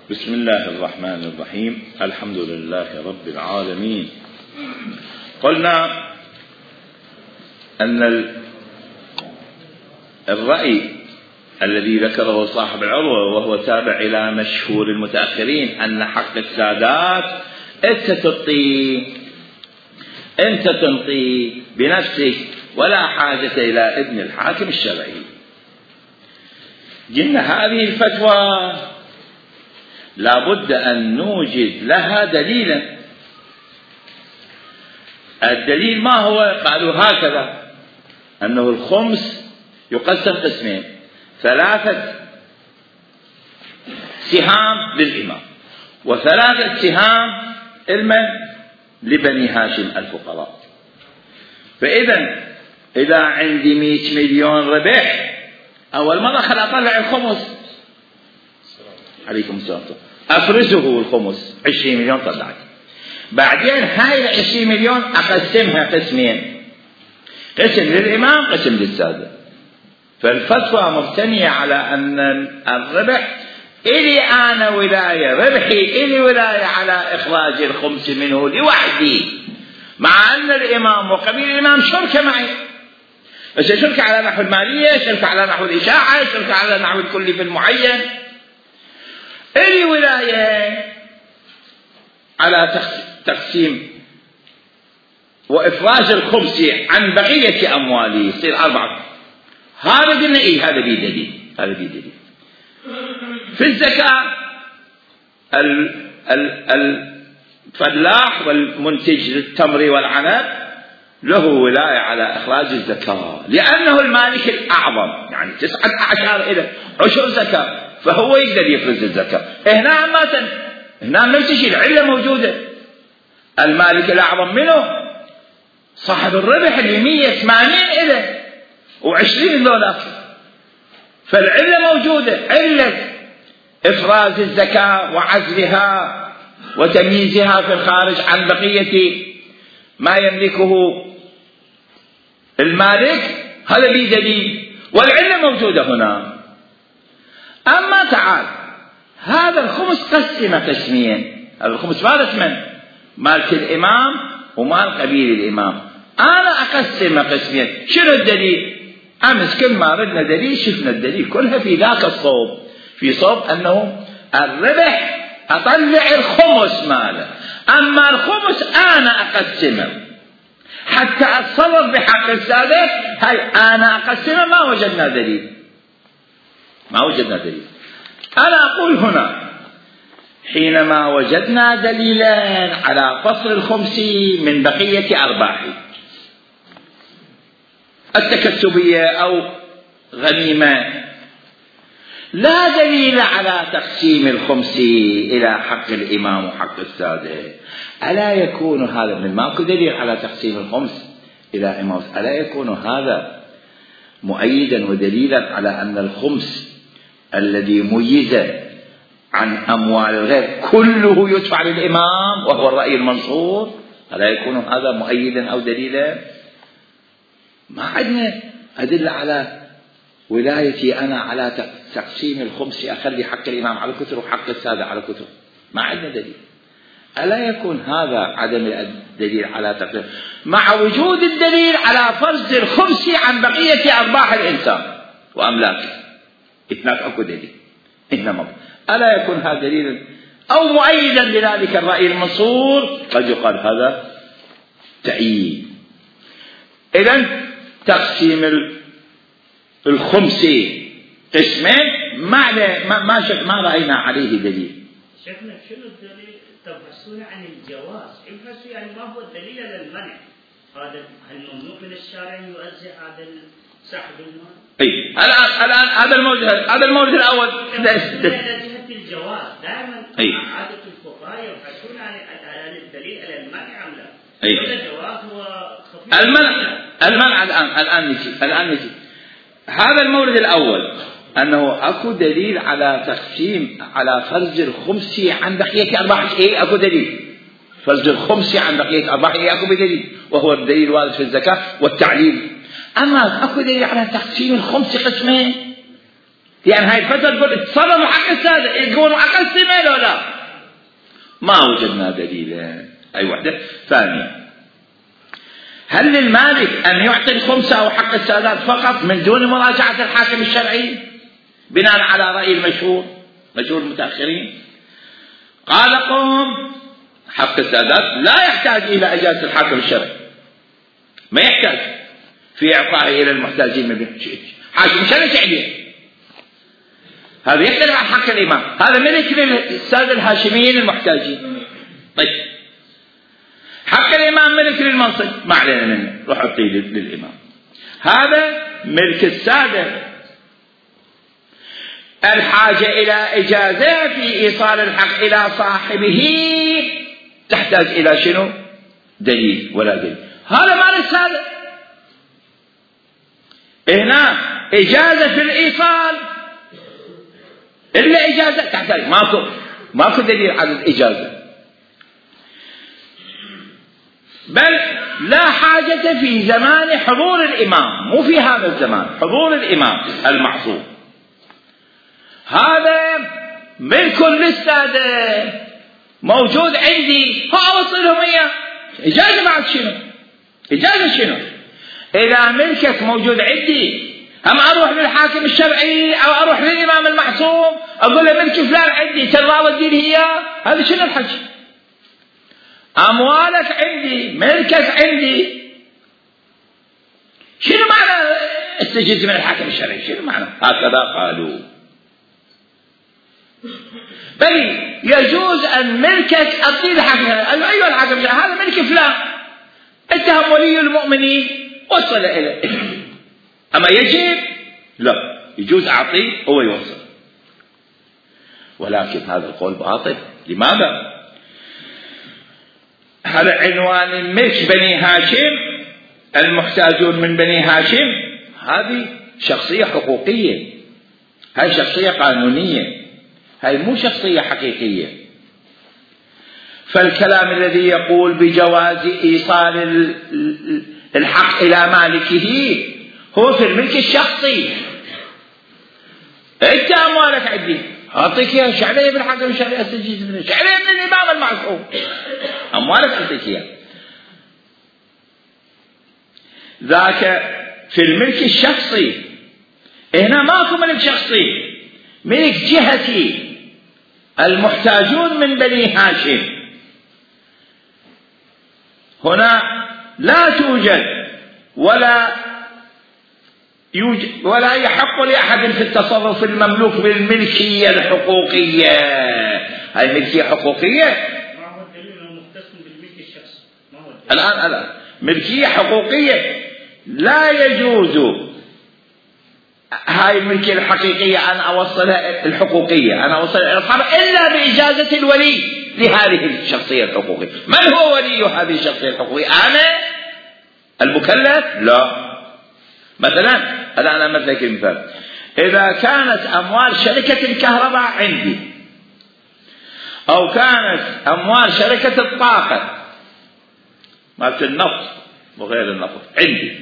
بسم الله الرحمن الرحيم. الحمد لله رب العالمين. قلنا أن الرأي الذي ذكره صاحب العروة وهو تابع إلى مشهور المتأخرين أن حق السادات أنت تنطي بنفسك ولا حاجة إلى إذن الحاكم الشرعي. قلنا هذه الفتوى لابد أن نوجد لها دليلا. الدليل ما هو؟ قالوا هكذا أنه الخمس يقسم قسمين، 3 سهام للإمام و3 سهام لبني هاشم الفقراء. إذا عندي 100 مليون ربح، أول مرة خل أطلع الخمس، عليكم السلام، أفرزه الخمس 20 مليون طلعت. بعدين هاي 20 مليون أقسمها قسمين، قسم للإمام قسم للسادة. فالفتوى مبتنية على أن الربح إلي أنا ولاية، ربحي إلي ولاية على إخراج الخمس منه لوحدي، مع أن الإمام وقبيل الإمام شركة معي، بس شركة على نحو المالية، شركة على نحو الإشاعة، شركة على نحو الكلف المعين. إلي ولاية على تقسيم وإفراج الخمس عن بقية أموالي، يصير 4. هذا قلنا إيه، هذا بيه دليل. في الزكاة الفلاح والمنتج للتمر والعنب له ولاية على إخراج الزكاة، لأنه المالك الأعظم، يعني 19 إلى 10 زكاة، فهو يقدر يفرز الزكاة. هنا نفس الشيء، العلة موجودة. المالك الأعظم منه صاحب الربح اللي 180 إلى و20 دولار، فالعلة موجودة، علة إفراز الزكاة وعزلها وتمييزها في الخارج عن بقية ما يملكه المالك، هذا بدليل، والعلة موجودة هنا. أما تعال، هذا الخمس قسم قسمين، هذا الخمس مالك من؟ مالك الإمام ومال قبيل الإمام. أنا أقسم قسمين. شنو الدليل؟ أمس كل ما ردنا دليل شفنا الدليل كلها في ذاك الصوب، في صوب أنه الربح أطلع الخمس ماله، أما الخمس أنا أقسمه حتى أتصرف بحق السادة. هاي أنا أقسمه، ما وجدنا دليل. أنا أقول هنا حينما وجدنا دليلا على فصل الخمس من بقية أرباحي التكسبية أو غنيمة، لا دليل على تقسيم الخمس إلى حق الإمام وحق السادة، ألا يكون هذا من ماكو دليل على تقسيم الخمس إلى إمام، ألا يكون هذا مؤيدا ودليلا على أن الخمس الذي ميز عن أموال الغير كله يدفع للإمام وهو الرأي المنصور؟ ألا يكون هذا مؤيدا أو دليلا؟ ما عندنا أدلة على ولايتي أنا على تقسيم الخمس، أخلي حق الإمام على كثر وحق السادة على كثر، ما عندنا دليل. ألا يكون هذا عدم الدليل على تقسيم مع وجود الدليل على فرز الخمس عن بقية أرباح الإنسان وأملاكه؟ هناك أكو دليل، إنما ألا يكون هذا دليلا أو مؤيدا لذلك الرأي المنصور؟ قد يقال هذا تأييد. إذن تقسيم الخمس قسمين ما رأينا عليه دليل. شيخنا شنو الدليل تبحثون عن الجواز؟ ابحثوا يعني ما هو الدليل على المنع؟ هذا هل ممنوع من الشارع يوزع هذا سحب المال؟ اي الآن هذا المورد الأول جهة الجواز دائما عادة الفقهاء يبحثون عن الدليل على المنع أم لا؟ الجواز هو خفيف. المنع الآن نجي هذا المورد الأول، أنه أكو دليل على تقسيم على فرز الخمس عن بقية أرباح. أكو دليل فرز الخمس عن بقية أرباح، أكو بدليل، وهو الدليل الوارد في الزكاة والتعليل. أما أكو دليل على تقسيم الخمس قسمين، يعني هاي الفترة تقول تصرفوا حق السادة يقولوا أقل سنة لو لا، ما وجدنا دليلا. أي وحدة. ثانيا، هل للمالك أن يعطي الخمسة أو حق السادات فقط من دون مراجعة الحاكم الشرعي بناء على رأي مشهور المتأخرين؟ قال قوم حق السادات لا يحتاج إلى إجازة الحاكم الشرعي، ما يحتاج في إعطائه إلى المحتاجين من حاكم شرعي عليه. هذا يختلف عن حق الإمام، هذا ملك للسادة الهاشميين المحتاجين. طيب حق الإمام ملك للمنصب، ما علينا منه، روح أعطيه للإمام. هذا ملك السادة، الحاجة إلى إجازة في إيصال الحق إلى صاحبه تحتاج إلى شنو؟ دليل ولا دليل. هذا مال السادة. هنا إجازة في الإيصال إلا إجازة تحتاج، ماكو دليل على الإجازة، بل لا حاجة في زمان حضور الإمام، مو في هذا الزمان، حضور الإمام المعصوم. هذا ملك للسادة موجود عندي، فأوصلهم إياه. إجازة بعد شنو؟ إجازة شنو؟ إذا ملكك موجود عندي، هم أروح للحاكم الشرعي أو أروح للإمام المعصوم أقول له ملك فلان عندي تراضى تدير إياه، هذا شنو الحكي؟ أموالك عندي، ملكك عندي، شنو معنى استجز من الحاكم الشرعي؟ شنو معنى؟ هكذا قالوا. بل يجوز أن ملكك أعطيه الحاكم الشرعي، أيها الحاكم الشرعي هذا ملك فلان، اتهم ولي المؤمنين وصل إليه. أما يجب لا، يجوز أعطيه هو يوصل. ولكن هذا القول باطل. لماذا؟ هذا عنوان ملك بني هاشم، المحتاجون من بني هاشم، هذه شخصية حقوقية، هاي شخصية قانونية، هاي مو شخصية حقيقية. فالكلام الذي يقول بجواز إيصال الحق إلى مالكه هو في الملك الشخصي. انت اموالك عندي اعطيك اياها، ايش علي بالحاكم الشرعي استجيز منه؟ ايش علي من الامام المعصوم؟ اموالك اعطيك اياها. ذاك في الملك الشخصي. هنا ماكو ملك شخصي، ملك جهتي، المحتاجون من بني هاشم. هنا لا توجد ولا يحق لأحد في التصرف المملوك بالملكية الحقوقية. هاي ملكية حقوقية. ما هو الدليل انه مختص بالملك الشخصي؟ ما هو الدليل؟ الآن ملكية حقوقية لا يجوز هاي الملكية الحقيقية أنا أوصلها الحقوقية، أنا أوصلها إلى إلا بإجازة الولي لهذه الشخصية الحقوقية. من هو ولي هذه الشخصية الحقوقية؟ أنا المكلف؟ لا. مثلا أنا مثلك مثال، إذا كانت أموال شركة الكهرباء عندي أو كانت أموال شركة الطاقة مالت النفط وغير النفط عندي،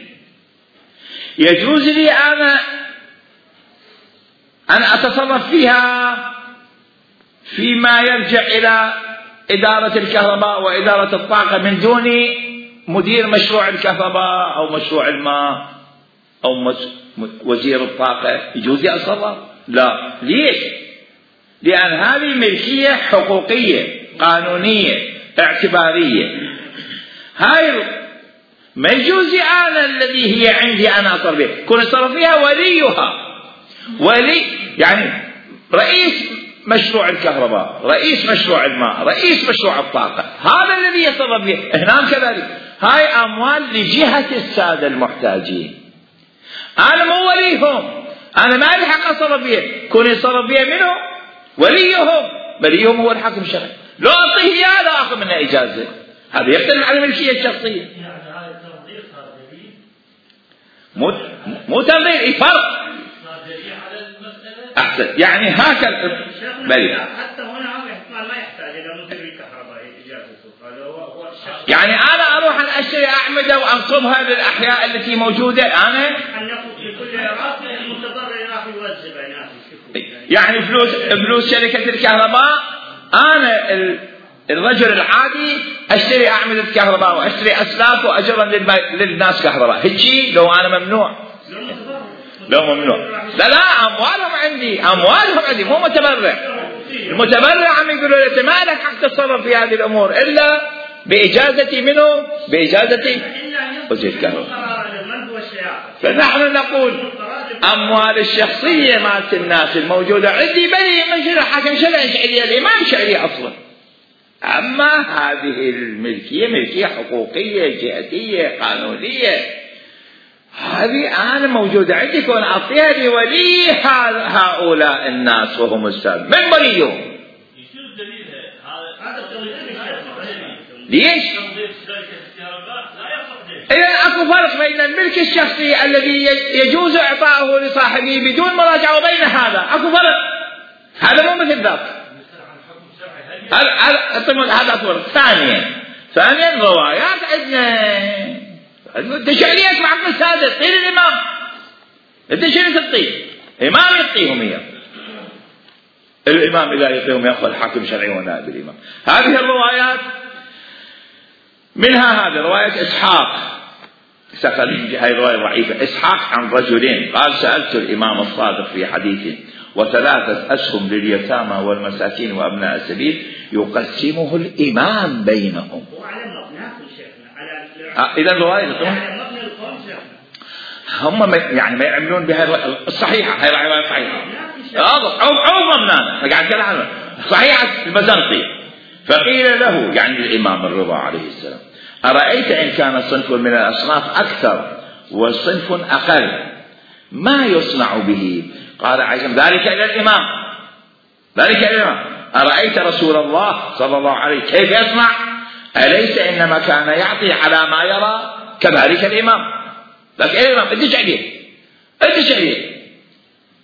يجوز لي أنا أن أتصرف فيها فيما يرجع إلى إدارة الكهرباء وإدارة الطاقة من دون مدير مشروع الكهرباء أو مشروع الماء أو وزير الطاقة، يجوز لي أتصرف؟ لا. ليش؟ لأن هذه ملكية حقوقية قانونية اعتبارية. هاي ما يجوز أنا الذي هي عندي أنا أتصرف فيها، كون يتصرف فيها وليها، ولي يعني رئيس مشروع الكهرباء، رئيس مشروع الماء، رئيس مشروع الطاقة، هذا الذي يتصرف فيها. هنا كذلك هاي أموال لجهة السادة المحتاجين، أنا مو وليهم، أنا ما لي حق أتصرف فيها، كون يتصرف فيها منه وليهم هو الحاكم الشرعي. لو أعطيه إياه لا أخذ منه إجازة. هذا يختلف عن الملكية الشخصية. مو تنظير، فرق. أحسن، يعني هكذا. حتى هنا احتمال ما يحتاج إلى مدير الكهرباء إجازته، هذا هو الشخص. يعني أنا أروح أشتري أعمدة وأنصبها للأحياء التي موجودة، أنا أن يقول في كل راس المتضرر راح يوزع بيناتهم. يعني فلوس شركة الكهرباء، أنا الرجل العادي أشتري أعمدة كهرباء وأشتري أسلاك وأجرا للناس كهرباء، هيجي لو أنا ممنوع؟ لو ممنوع. لا أموالهم عندي مو متبرع. المتبرع عم يقولوا لي ما لك حق تتصرف في هذه الأمور إلا بإجازتي منه، بإجازتي وزير الكهرباء. فنحن نقول أموال الشخصية مالت الناس الموجودة عندي بريء من شرع حاكم شرعي شعرية الإمام شعري أصلا. أما هذه الملكية ملكية حقوقية جهتية قانونية، هذه أنا موجودة عندي كون أعطيها لولي هؤلاء الناس وهم السابق من بريهم. ليش؟ إذا أكو فرق بين الملك الشخصي الذي يجوز إعطاؤه لصاحبه بدون مراجعة وبين هذا أكو فرق. هذا مو مثل ذاك. هذا فرق. ثانيا روايات عندنا تشعريات مع عقل سادس غير الإمام. أنت شنو تعطيه؟ إمام يعطيهم إياه. الإمام إذا يعطيهم يأخذ حاكم شرعي ونائب الإمام. هذه الروايات منها هذه رواية إسحاق، هذه رواية ضعيفة. إسحاق عن رجلين قال سألت الإمام الصادق في حديثه 3 أسهم لليتامى والمساكين وأبناء السبيل يقسمه الإمام بينهم. إذا رواية هم يعني ما يعملون بها الصحيحة، هي رواية صحيحة. عوض مبنانا قاعد كلام صحيحة البزنطي. فقيل له يعني الإمام الرضا عليه السلام أرأيت إن كان صنف من الأصناف أكثر وصنف أقل ما يصنع به؟ قال عجم ذلك إلى الإمام. أرأيت رسول الله صلى الله عليه كيف يصنع؟ أليس إنما كان يعطي على ما يرى؟ كذلك الإمام. لكن الإمام أنت شعريه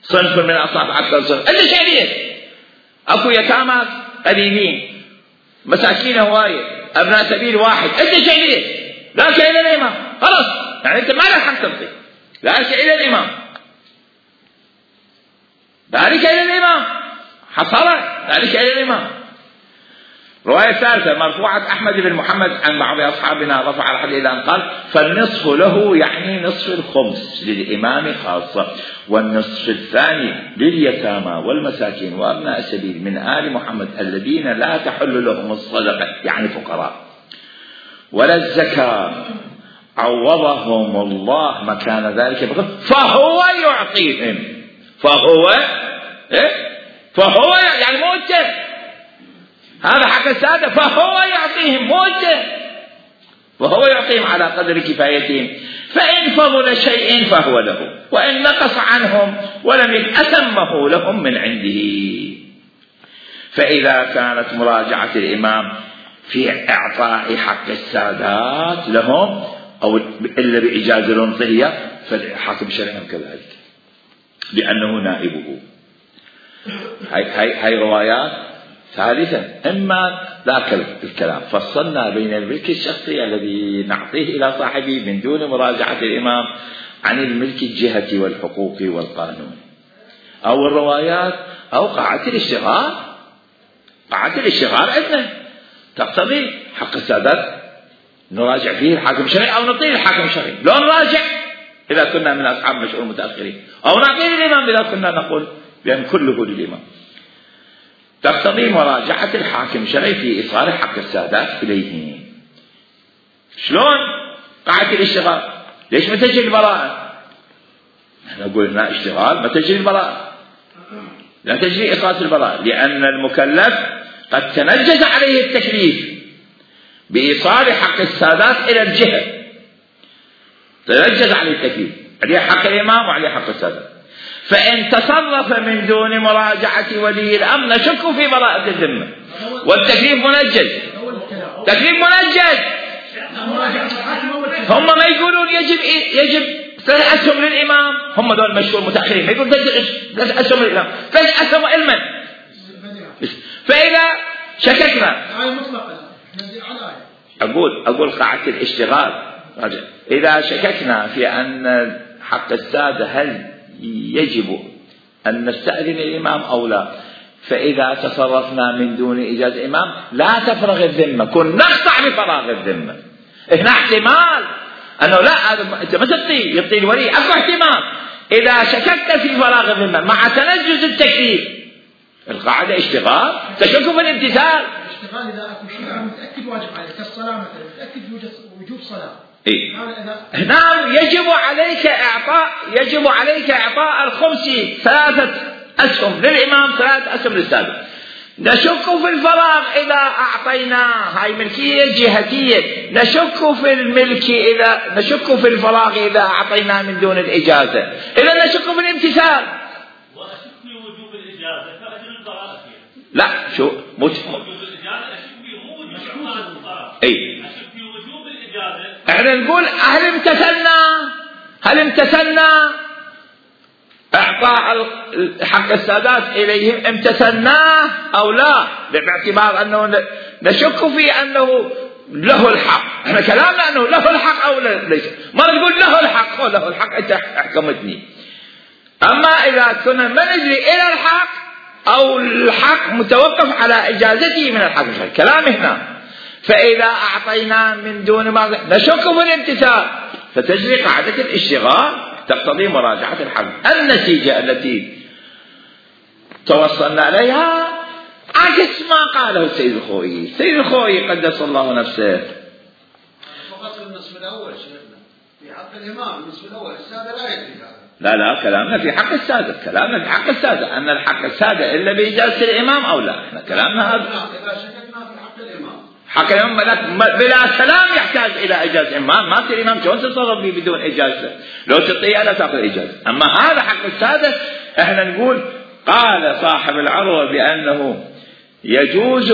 صنف من الأصناف أكثر صنف أنت شعريه. أكو يتامى قليلين، مساكين هواية، أبناء سبيل واحد، أنت شعريه. ذلك إلى الإمام. خلاص يعني أنت ما لك حق تنطي. ذلك إلى الإمام. حصل ذلك إلى الإمام. رواية ثالثة مرفوعة أحمد بن محمد عن بعض أصحابنا رفع الحديث إلى أن قال فالنصف له يعني نصف الخمس للإمام خاصة، والنصف الثاني لليتامى والمساكين وأبناء السبيل من آل محمد الذين لا تحل لهم الصدقة يعني فقراء ولا الزكاة عوضهم الله مكان ذلك فهو يعطيهم. فهو يعني موجه. هذا حق السادة. فهو يعطيهم موجه، وهو يعطيهم على قدر كفايتهم. فإن فضل شيء فهو له، وإن نقص عنهم ولم أتمه لهم من عنده. فإذا كانت مراجعة الإمام في إعطاء حق السادات لهم أو إلا بإجازة الأنطية فالحاكم الشرعي كذلك لأنه نائبه. هاي روايات ثالثا. إما ذاك الكلام فصلنا بين الملك الشخصي الذي نعطيه إلى صاحبه من دون مراجعة الإمام عن الملك الجهة والحقوق والقانون، أو الروايات أو قاعة الاشتغال. قاعة الاشتغال عندنا تقتضي حق السادات نراجع فيه الحاكم الشرعي أو نعطيه الحاكم الشرعي. لو نراجع إذا كنا من أصحاب مشؤوم متأخرين، أو نعطيه الإمام إذا كنا نقول بأن كله للإمام. تقتضي مراجعة الحاكم الشرعي في إيصال حق السادات إليه. شلون؟ قاعة الاشتغال. ليش ما تجري البراءة؟ نقول لا اشتغال ما تجري البراءة، لا تجري إيصال البراءة، لأن المكلف قد تنجز عليه التكليف بإيصال حق السادات إلى الجهة، تنجز عليه التكليف، عليه حق الإمام وعليه حق السادات. فإن تصرف من دون مراجعة ولي الأمر نشك في براءة الذمة، والتكليف منجز. تكليف منجز. هم ما يقولون يجب 3 أسهم للإمام، هم دول مشهور متأخرين يقول 3 أسهم للإمام، 3 أسهم علما. فإذا شككنا أقول قاعة الاشتغال، إذا شككنا في أن حق السادة هل يجب أن نستأذن الإمام أو لا. فإذا تصرفنا من دون إجازة الإمام لا تفرغ الذمة، كن نقطع بفراغ الذمة. هنا احتمال أنه لا أنت ما يعطي الولي، أكو احتمال إذا شككت في فراغ الذمة مع تنجز التكليف. القاعدة اشتغال، تشك في الامتثال. اشتغال إذا أكو شيء متأكد واجب عليك كالصلاة مثلا، متأكد وجوب صلاة. إيه؟ نعم، يجب عليك إعطاء الخمس 3 أسهم للإمام 3 أسهم للسادس. نشك في الفراغ إذا أعطيناه، هاي ملكية جهتية. نشك في الملك إذا نشك في الفراغ إذا أعطيناه من دون الإجازة. إذا نشك في الامتثال. وأشك في وجوب الإجازة فأجل الفراغ فيها. لا شو وجوب الإجازة أشك في مو وجوب الفراغ. أي. أشك في وجوب الإجازة. احنا نقول هل امتثلنا اعطاء حق السادات اليهم، امتثلناه او لا، باعتبار انه نشك في انه له الحق. احنا كلامنا انه له الحق او ليس، ما نقول له الحق او له الحق انت احكمتني. اما اذا كنا ما ندري الى الحق او الحق متوقف على اجازته من الحق، كلام هنا. فاذا اعطينا من دون ما نشك في الامتثال فتجري قاعدة الاشتغال تقتضي مراجعة الحق. النتيجة التي توصلنا إليها عكس ما قاله السيد الخوئي. السيد الخوئي قدس الله نفسه فقط النصف الأول شيخنا في حق الإمام، النصف الأول السادة لا يدري هذا. لا كلامنا في حق السادة، كلامنا في حق السادة أن الحق السادة إلا بإجازة الإمام أو لا. احنا كلامنا هذا إذا شككنا في حق الإمام، حق الإمام بلا كلام يحتاج إلى إجازة الإمام. ما تصير الإمام شلون تتصرف به بدون إجازة؟ لو تطيع لا تأخذ إجازة. أما هذا حق السادة احنا نقول قال صاحب العروة بأنه يجوز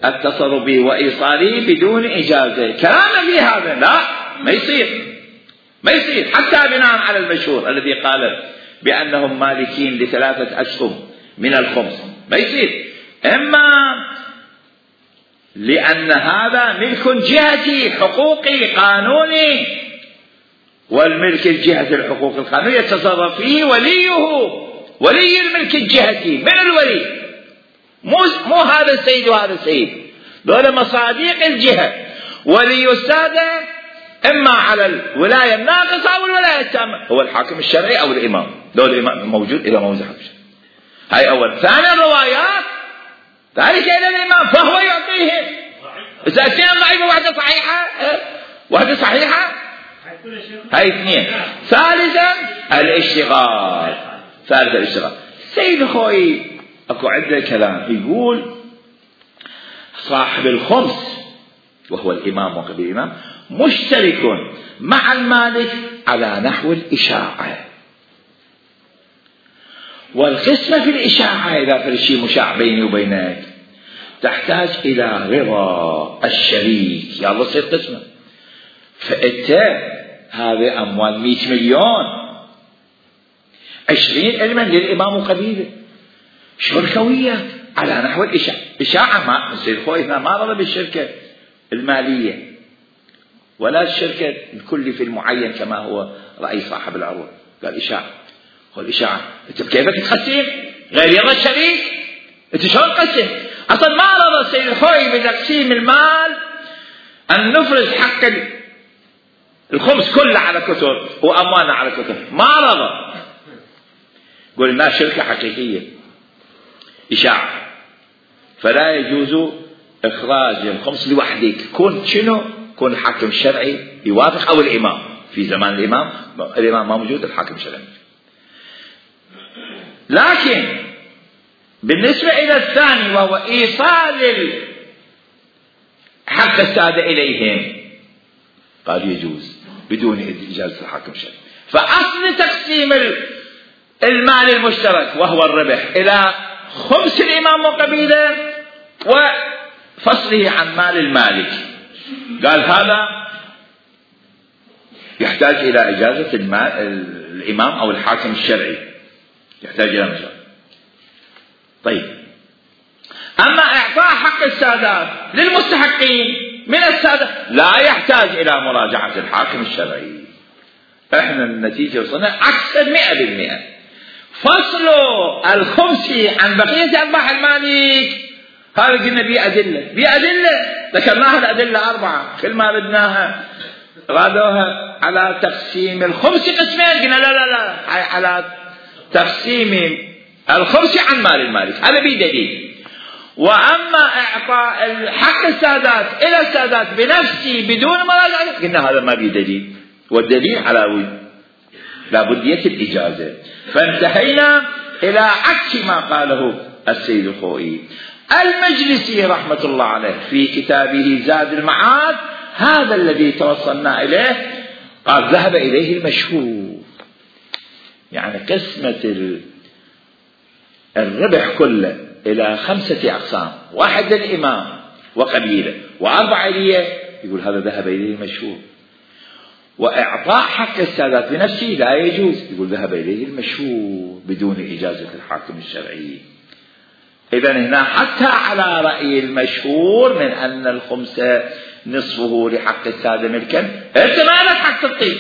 التصرف به وإيصاله بدون إجازة. كلامنا في هذا لا، ما يصير حتى بناء على المشهور الذي قال بأنهم مالكين ل3 أسهم من الخمس، ما يصير. إما لأن هذا ملك جهتي حقوقي قانوني، والملك الجهة الحقوق القانونية يتصرف فيه ولي الملك الجهتي من الولي، مو هذا السيد وهذا السيد، دول مصاديق الجهة. ولي السادة إما على الولاية الناقصة أو الولاية التامة هو الحاكم الشرعي أو الإمام، دول الإمام موجود إذا موجود حاكم شرعي. هاي أول. ثاني الروايات ذلك إلى الإمام فهو يعطيهم. إذا اثنين ضعيفة واحدة صحيحة هاي 2. ثالثا الاشتغال. سيد خوي أكو عنده كلام يقول صاحب الخمس وهو الإمام وقبل الإمام مشترك مع المالك على نحو الإشاعة. والقسمة في الإشاعة إذا في شيء مشاع بيني وبينك تحتاج إلى رضا الشريك، يا الله تصير قسمة. فأنت هذه أموال 100 مليون 20 علما للإمام وقبيله شركوية على نحو الإشاعة. إشاعة ما سيد خوي هنا ما رضى بالشركة المالية ولا الشركة الكلي في المعين كما هو رأي صاحب العروض. قال إشاعة. قال إشاعة أنت كيفك تقسم غير يرضى الشريك؟ أنت شلون تقسم؟ أصلا ما رضى السيد الخوي بتقسيم المال أن نفرز حق الخمس كله على كتر وأموالنا على كتر، ما رضى. قول الناس شركة حقيقية إشاعة، فلا يجوز إخراج الخمس لوحدك. كون شنو؟ كون الحاكم الشرعي يوافق أو الإمام. في زمان الإمام ما موجود، الحاكم الشرعي. لكن بالنسبة إلى الثاني وهو إيصال حق السادة إليهم قال يجوز بدون إجازة الحاكم الشرعي. فأصل تقسيم المال المشترك وهو الربح إلى خمس الإمام وقبيله وفصله عن مال المالك، قال هذا يحتاج إلى إجازة الإمام أو الحاكم الشرعي، يحتاج إلى مجال. طيب، أما إعطاء حق السادات للمستحقين من السادة لا يحتاج إلى مراجعة الحاكم الشرعي. احنا النتيجة وصلنا عكس 100%. فصل الخمس عن بقية أرباح المالك هذا قلنا بأدلة ذكرناها الأدلة 4 كل ما بدناها رادوها على تقسيم الخمس قسمين قلنا لا هاي على تقسيم الخمس عن مال المالك هذا بدليل. وأما إعطاء حق السادات إلى السادات بنفسه بدون مراجعة قلنا هذا ما بدليل، والدليل على لابدية الإجازة. فانتهينا إلى عكس ما قاله السيد الخوئي. المجلسي رحمة الله عليه في كتابه زاد المعاد هذا الذي توصلنا إليه قال ذهب إليه المشهور، يعني قسمة الربح كله إلى 5 أقسام، 1 للإمام وقبيله و4 ليه، يقول هذا ذهب إليه المشهور. وإعطاء حق السادات بنفسه لا يجوز، يقول ذهب إليه المشهور بدون إجازة الحاكم الشرعي. إذن هنا حتى على رأي المشهور من أن الخمس نصفه لحق السادة ملكا، أنت ما لك حق تطيب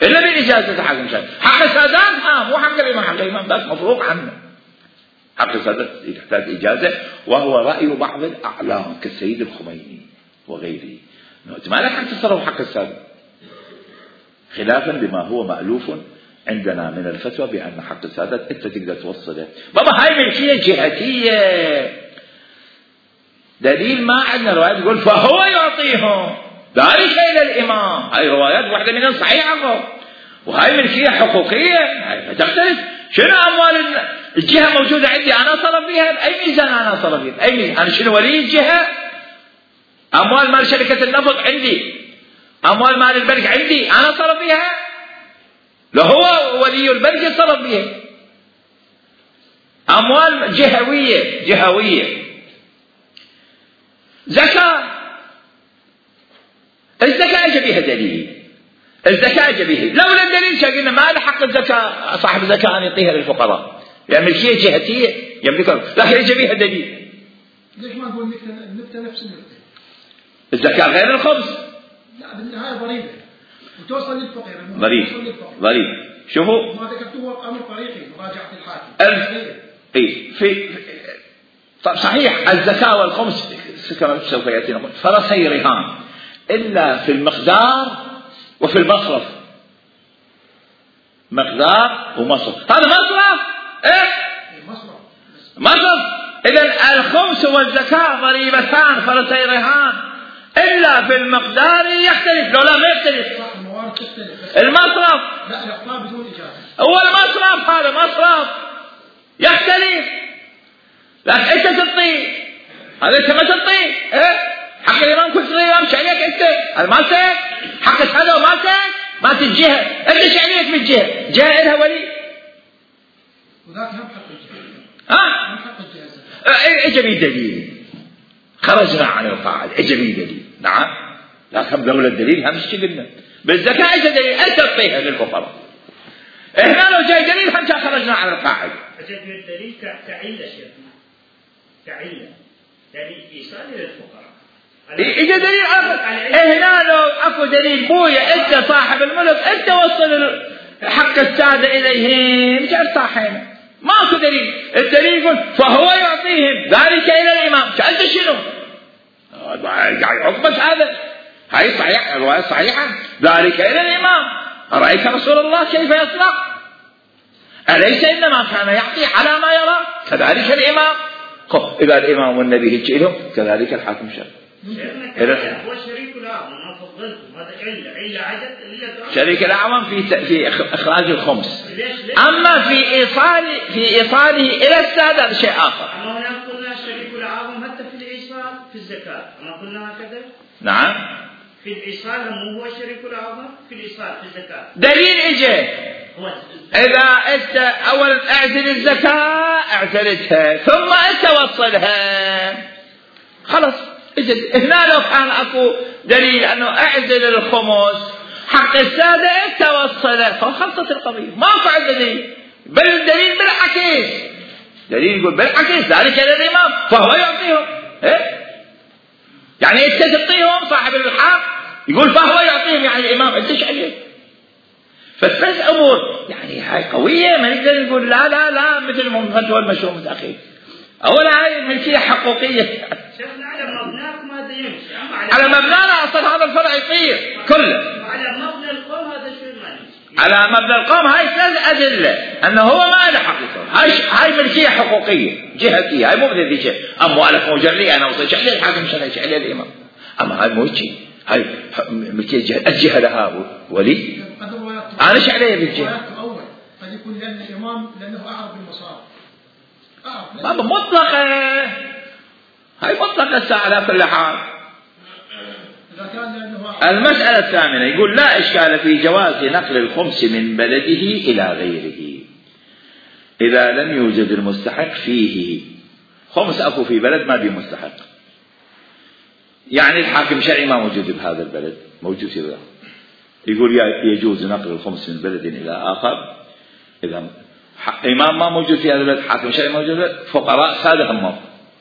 إلا بإجازة الحاكم الشرعي. حق السادات مو حق الإمام، حق الإمام ذاك مفروغ عنه، حق السادات يحتاج إجازة، وهو رأي بعض الأعلام كالسيد الخميني وغيره، أنت ما لك حق تصرف حق السادة، خلافا لما هو مألوف عندنا من الفتوى بأن حق السادات أنت تقدر توصله. بابا هاي ملكية جهتية، دليل ما عندنا روايات يقول فهو يعطيهم ذلك إلى الإمام، هاي روايات واحدة منها صحيحة، وهاي ملكية حقوقية هاي تختلف. شنو أموال الجهة موجودة عندي أنا أصرف فيها بأي ميزان، أنا أصرف فيها بأي ميزان، أنا شنو ولي الجهة؟ أموال مال شركة النفط عندي، أموال مال البنك عندي، أنا أصرف فيها؟ لا هو ولي البنك يتصرف بها. أموال جهوية. زكاة، الزكاة اجى بها دليل، الزكاة اجى بها، لولا الدليل شاقلنا ما له حق الزكاة صاحب الزكاة أن يعطيها للفقراء، يعني ملكية جهتية يملكها، لكن اجى بها دليل. ليش ما نقول النكتة نفس النكتة؟ الزكاة غير الخبز، لا بالنهاية ضريبة وتوصل للفقير. ضريب. شوفوا ما ذكرتوه أمر طريقي مراجعة الحاكم. طب صحيح الزكاة والخمس كما سوف يأتينا فرسي رهان إلا في المقدار وفي المصرف، مقدار ومصرف، هذا مصرف مصرف. إذن الخمس والزكاة ضريبتان فرسي رهان إلا في المقدار يختلف، لو لا ما يختلف المصرف، لا الإعطاء بدون إجازة هو المصرف، هذا مصرف يختلف، لكن أنت تعطيه هذا أنت ما تعطيه، حق الإمام كنت الإمام شعليك أنت، هذا ما سيك حق السادة وما سيك ما تجيها، أنت شعليك من جهة إلها ولي، وذاك هم حق الجهة، هم حق الجهة. إجابي دليل، خرجنا عن القاعدة، إجابي دليل، نعم، لكن دولة الدليل هم قلنا بالزكاة إجا دليل أنت تعطيها للفقراء. هنا لو جاي دليل هم خرجنا عن القاعدة. أجد من الدليل كعلة شيخنا، كعلة دليل إيصال للفقراء. إجا دليل هنا لو أكو دليل بويا أنت صاحب الملك أنت وصل حق السادة إليهم جعل صاحبنا، ماكو دليل، الدليل يقول فهو يعطيهم ذلك إلى الإمام، أنت شنو؟ حكمك هذا، هاي صحيح الرواية صحيحة، ذلك إلى الإمام، أرأيت رسول الله كيف يصنع؟ أليس إنما كان يعطي على ما يرى؟ كذلك الإمام، إذا الإمام والنبي هيك لهم كذلك الحاكم الشرعي. هو شريك الأعظم ما فضلتم، هذا علة عدد شريك الأعظم في إخراج الخمس، أما في إيصاله إلى السادة شيء آخر. أما هنا قلنا شريك الأعظم حتى في الإيصال في الزكاة، أما قلنا هكذا؟ نعم. في الإيصال مو هو شريك الأعظم في الإيصال في الزكاة. دليل إجا إذا أنت أولا أعزل الزكاة اعزلتها ثم أنت وصلها خلاص. هنا لو كان أكو دليل أنه أعزل الخمس حق السادة أنت وصلها فخلصت القضية، ما أكو دليل، بل الدليل بالعكس، دليل يقول بالعكس ذلك للإمام فهو يعطيهم، يعني أنت تعطيهم صاحب الحق يقول فهو يعطيهم، يعني الإمام أنت ايش عليك؟ بس أمور يعني هاي قوية، ما نقدر نقول لا مثل فتوى المشروع متأخر. أولا هاي ملكية حقوقية. شيخنا على مبناكم هذا يمشي، على مبنانا أصلا هذا الفرع يطير كله. على مبنى القوم هذا شو المعنى؟ على مبنى القوم هاي 3 أدلة أنه هو ما له حقيقة. هاي ملكية حقوقية جهتية، هاي مو مثل شيء أموالك مجرية أنا وصلت عليه الحاكم شرعي عليه الإمام، أما هاي مو شيء، هاي ملكية الجهة لها ولي. أنا إيش عليه بالجهة؟ أول قد يكون لأن الإمام لأنه أعرف بالمصارف. بابا مطلقة، هاي مطلقة على كل حال. المسألة الثامنة يقول لا إشكال في جواز نقل الخمس من بلده إلى غيره إذا لم يوجد المستحق فيه. خمس أكو في بلد ما بيه مستحق، يعني الحاكم الشرعي ما موجود بهذا البلد، موجود في بلد، يقول يجوز نقل الخمس من بلد إلى آخر. إذا إمام ما موجود في هذا البلد، حاكم شرعي موجود، فقراء سادة هم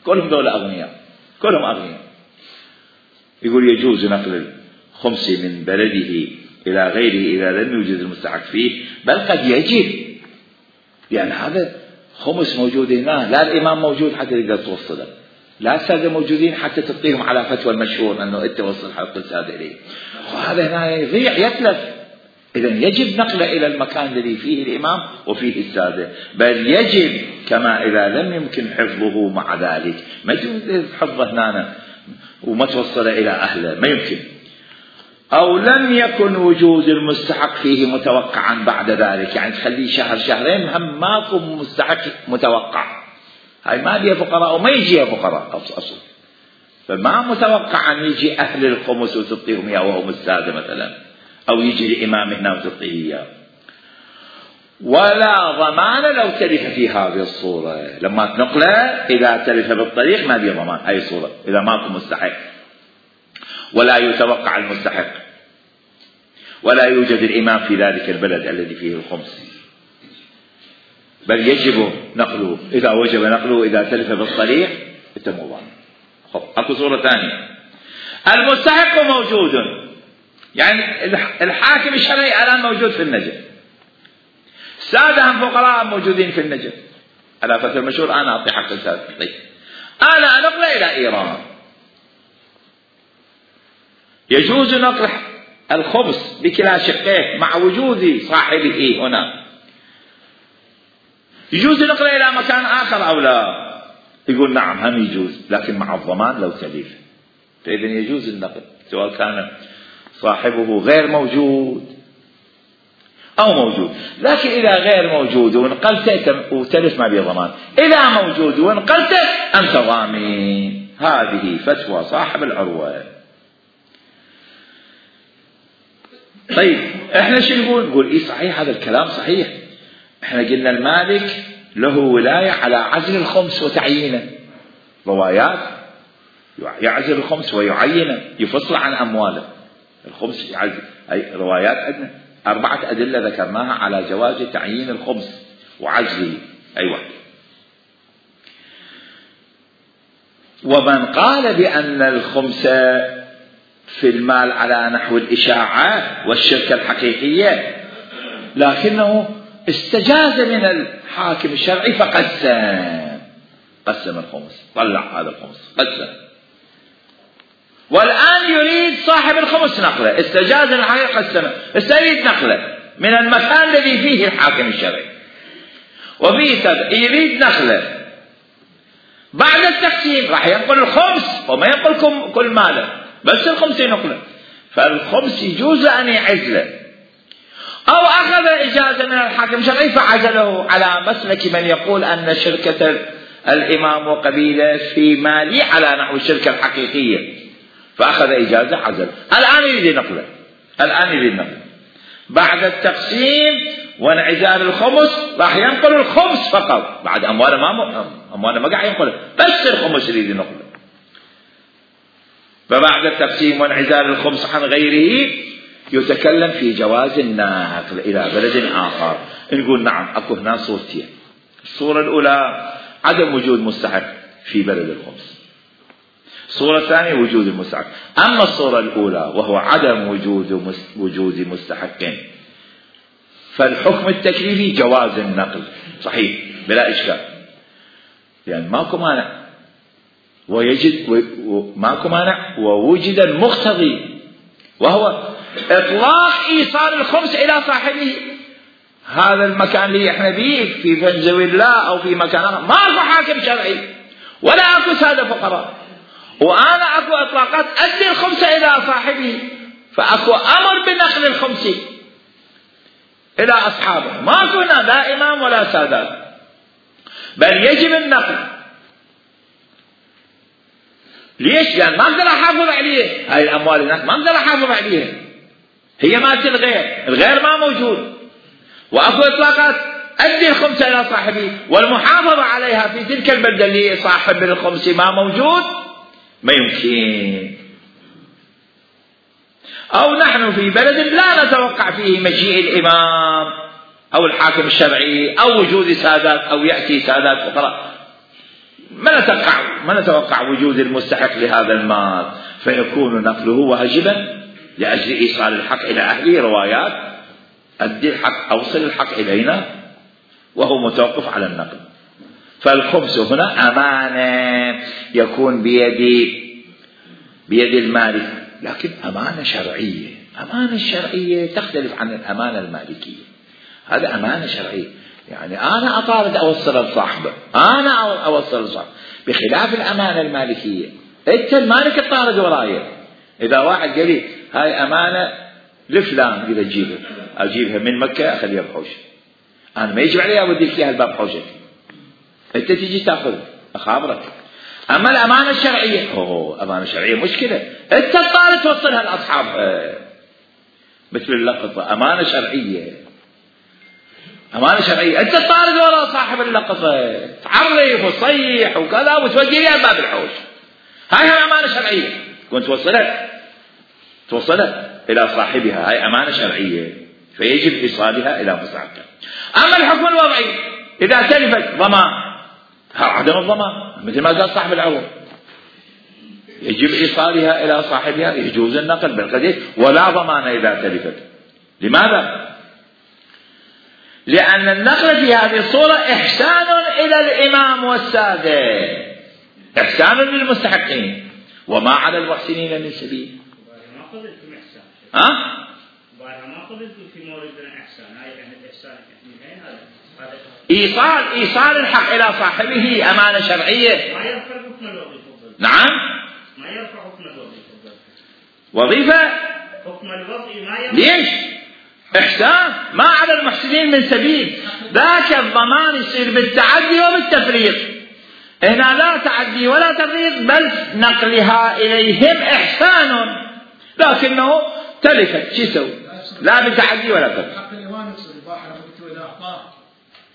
كلهم دولة أغنياء، كلهم أغنياء، يقول يجوز نقل الخمس من بلده إلى غيره إذا لم يوجد المستحق فيه، بل قد يجب، لأن هذا خمس موجود هنا، لا الإمام موجود حتى تقدر توصله، لا السادة موجودين حتى تعطيهم على فتوى المشهور أنه أنت توصل حق السادة إليه، وهذا هنا يضيع يتلف. إذا يجب نقله إلى المكان الذي فيه الإمام وفيه السادة، بل يجب كما إذا لم يمكن حفظه مع ذلك، ما يمكن حفظه هنا وما توصل إلى أهله، ما يمكن. أو لم يكن وجود المستحق فيه متوقعا بعد ذلك، يعني تخليه شهر شهرين هم ماكو مستحق متوقع، هاي ما بيها فقراء وما يجيها فقراء أصلا، فما متوقع أن يجي أهل الخمس وتعطيهم إياه وهم السادة مثلا، أو يجي الإمام هنا وتعطيه إياه. ولا ضمان لو تلف في هذه الصورة، لما تنقله إذا تلف بالطريق ما بيه ضمان، هاي الصورة إذا ماكو مستحق ولا يتوقع المستحق ولا يوجد الإمام في ذلك البلد الذي فيه الخمس، بل يجب نقله. إذا وجب نقله إذا تلف بالطريق مو ضامن. أكو صورة ثانية، المستحق موجود، يعني الحاكم الشرعي الآن موجود في النجف، سادة هم فقراء موجودين في النجف على فترة المشهور، أنا أعطي حق السادة، أنا أنقله إلى إيران. يجوز نقل الخبز بكلا شقيه مع وجود صاحبه هنا، يجوز نقله إلى مكان آخر أو لا؟ يقول نعم هم يجوز، لكن مع الضمان لو تلف، فإذا يجوز النقل سواء كان صاحبه غير موجود أو موجود. لكن إذا غير موجود ونقلته وتلف ما بيه ضمان، إذا موجود ونقلته أنت ضامن. هذه فتوى صاحب العروة. طيب احنا شو نقول ايه صحيح هذا الكلام صحيح، احنا قلنا المالك له ولاية على عزل الخمس وتعيينه، روايات يعزل الخمس ويعينه، يفصل عن أمواله الخمس يعزل. أي روايات عندنا 4 أدلة ذكرناها على جواز تعيين الخمس وعزله. أيوة. ومن قال بأن الخمس في المال على نحو الإشاعة والشركة الحقيقية، لكنه استجاز من الحاكم الشرعي فقسم الخمس، طلع هذا الخمس قسم، والآن يريد صاحب الخمس نقله، استجاز من الحاكم قسمه، استريد نقله من المكان الذي فيه الحاكم الشرعي، وفيه يريد نقله بعد التقسيم، راح ينقل الخمس وما ينقل كل ماله، بس الخمس ينقله، فالخمس يجوز أن يعزله، أو أخذ إجازة من الحاكم الشرعي فعزله، على مسلك من يقول أن شركة الإمام وقبيلة في مالي على نحو الشركة الحقيقية، فأخذ إجازة عزل. الآن يريد نقله، بعد التقسيم وانعزال الخمس راح ينقل الخمس فقط، بعد أمواله ما قاعد ينقله، بس الخمس يريد نقله. فبعد التقسيم وانعزال الخمس عن غيره يتكلم في جواز النقل إلى بلد آخر. نقول نعم أكو هنا صورتين، الصورة الأولى عدم وجود مستحق في بلد الخمس، الصورة الثانية وجود المستحق. أما الصورة الأولى وهو عدم وجود مستحق فالحكم التكليفي جواز النقل صحيح بلا إشكال، يعني ماكو مانع ماكو مانع ووجد المقتضي وهو إطلاق إيصال الخمس إلى صاحبه. هذا المكان اللي احنا فيه في فنزويلا أو في مكان آخر ما أكو حاكم شرعي ولا أكو سادة فقراء، وأنا أكو إطلاقات أدي الخمس إلى صاحبه، فأكو أمر بنقل الخمس إلى أصحابه، ما كنا لا إمام ولا سادات، بل يجب النقل. ليش؟ لأن ما أقدر أحافظ عليه، هاي الأموال الناس ما أقدر أحافظ عليها، هي مالت الغير ما موجود، وأكو إطلاقات أدي الخمس إلى صاحبه، والمحافظة عليها في تلك البلدة اللي صاحب الخمس ما موجود ما يمكن. أو نحن في بلد لا نتوقع فيه مجيء الإمام أو الحاكم الشرعي أو وجود سادات أو يأتي سادات فقراء، ما نتوقع وجود المستحق لهذا المال، فيكون نقله واجبا لأجل إيصال الحق إلى أهله. روايات أدي الحق، أوصل الحق إلينا، وهو متوقف على النقل. فالخمس هنا أمانة يكون بيد المالك، لكن أمانة شرعية. أمانة شرعية تختلف عن الأمانة المالكية. هذا أمانة شرعية، يعني أنا أطارد أوصل لصاحبه، أنا أوصل لصاحبه، بخلاف الأمانة المالكية أنت المالك تطارد ورايا. إذا واحد قال لي هاي أمانة لفلان إذا أجيبها من مكة أخليها بحوش، أنا ما يجب علي أوديك إياها الباب حوشك، أنت تيجي تأخذ أخابرك. أما الأمانة الشرعية أمانة شرعية مشكلة، أنت تطارد توصلها لأصحابها مثل اللقطة. أمانة شرعية أنت تطارد وراء صاحب اللقطة، تعرف وتصيح وكذا وتودي لها باب الحوش، هاي أمانة شرعية، كنت توصلها إلى صاحبها، هاي أمانة شرعية فيجب إيصالها إلى مستحقها. أما الحكم الوضعي إذا تلفت ضمان، عدم الضمان مثل ما قال صاحب العروض، يجب إيصالها إلى صاحبها، يجوز النقل بالقدر ولا ضمان إذا تلفت. لماذا؟ لأن النقل في هذه الصورة إحسان إلى الإمام والسادة، إحسان للمستحقين، وما على المحسنين من سبيل. ما قبلتم إحسان. ما قبلتم في موردنا إحسان، هاي يعني الإحسان إيصال الحق إلى صاحبه أمانة شرعية. ما يرفع حكم الوظيفة. نعم. ما يرفع حكم الوظيفة. وظيفة. حكم الوضع ما يرفع. ليش؟ إحسان ما على المحسنين من سبيل. ذاك الضمان يصير بالتعدي وبالتفريط، هنا لا تعدي ولا تفريط، بل نقلها إليهم إحسان، لكنه تلفت شو يسوي؟ لا بتعدي ولا تفريط. حق الإيمان يصير الباحر إذا أعطاه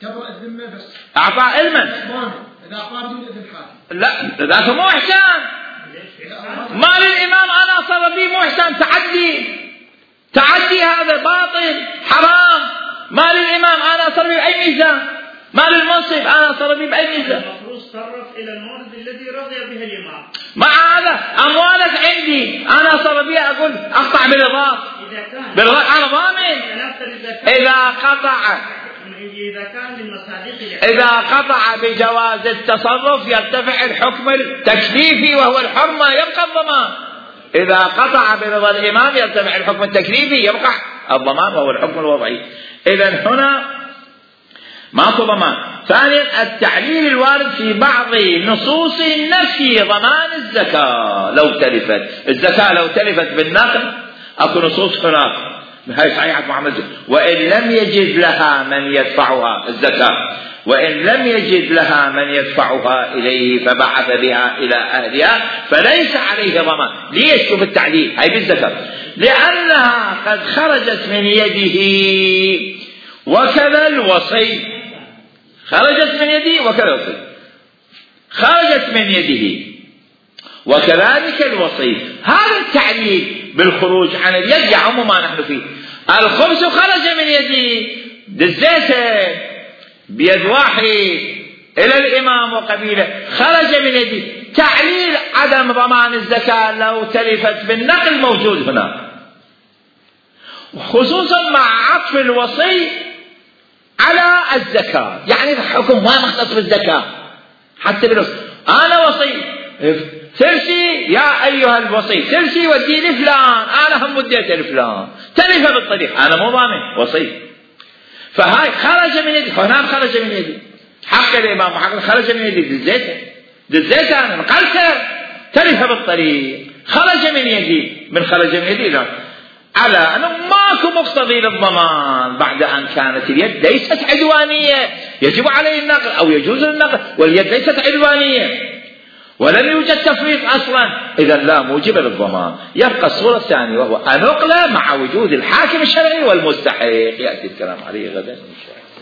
كبر الذمة، بس أعطاه علما إذا أعطاه بدون إذن حاكم، لا ذاك مو إحسان. مال الإمام أنا صار بي مو إحسان، تعدي هذا باطل حرام. مال الإمام أنا صار بي بأي ميزان؟ مال المنصب أنا صار بي بأي ميزان؟ المفروض صرف إلى المورد الذي رضي به الإمام. مع هذا أموالك عندي أنا صار بي أقول أقطع بالإضافة، أنا ضامن. إذا قطع بجواز التصرف يرتفع الحكم التكليفي وهو الحرمة، يبقى الضمان. إذا قطع برضا الإمام يرتفع الحكم التكليفي، يبقى الضمان وهو الحكم الوضعي. إذن هنا ماكو ضمان. ثانيا التعليل الوارد في بعض نصوص نفي ضمان الزكاة لو تلفت. الزكاة لو تلفت بالنقل أكو نصوص هناك، هاي صحيحة محمد، وإن لم يجد لها من يدفعها الزكاة، وإن لم يجد لها من يدفعها إليه فبعث بها إلى أهلها فليس عليه ضمان. ليش؟ شوف التعليل هاي بالزكاة، لأنها قد خرجت من يده وكذا الوصي، خرجت من يده وكذا الوصي، خرجت من يده وكذلك الوصي. هذا التعليل بالخروج عن اليد يعم ما نحن فيه. الخمس خرج من يدي، دزيته بيد واحد إلى الإمام وقبيله، خرج من يدي. تعليل عدم ضمان الزكاة لو تلفت بالنقل موجود هنا، خصوصا مع عطف الوصي على الزكاة، يعني الحكم ما مختص بالزكاة حتى بالوصي. أنا وصي سرشي يا أيها الوصي سرشي ودي لفلان، أنا هم وديته لفلان تلف بالطريق، أنا مو ضامن وصي. فهاي خرج من يدي، هنا خرج من يدي حق الإمام وحق خرج من يدي، دزيته أنا نقلته تلف بالطريق، خرج من يدي، من خرج من يدي لا، على أنه ماكو مقتضي للضمان بعد أن كانت اليد ليست عدوانية يجب عليه النقل أو يجوز النقل، واليد ليست عدوانية ولم يوجد تفريط أصلا، إذا لا موجب للضمان. يبقى الصورة الثانية وهو أنقل مع وجود الحاكم الشرعي والمستحق، يأتي الكلام عليه غدا إن شاء الله.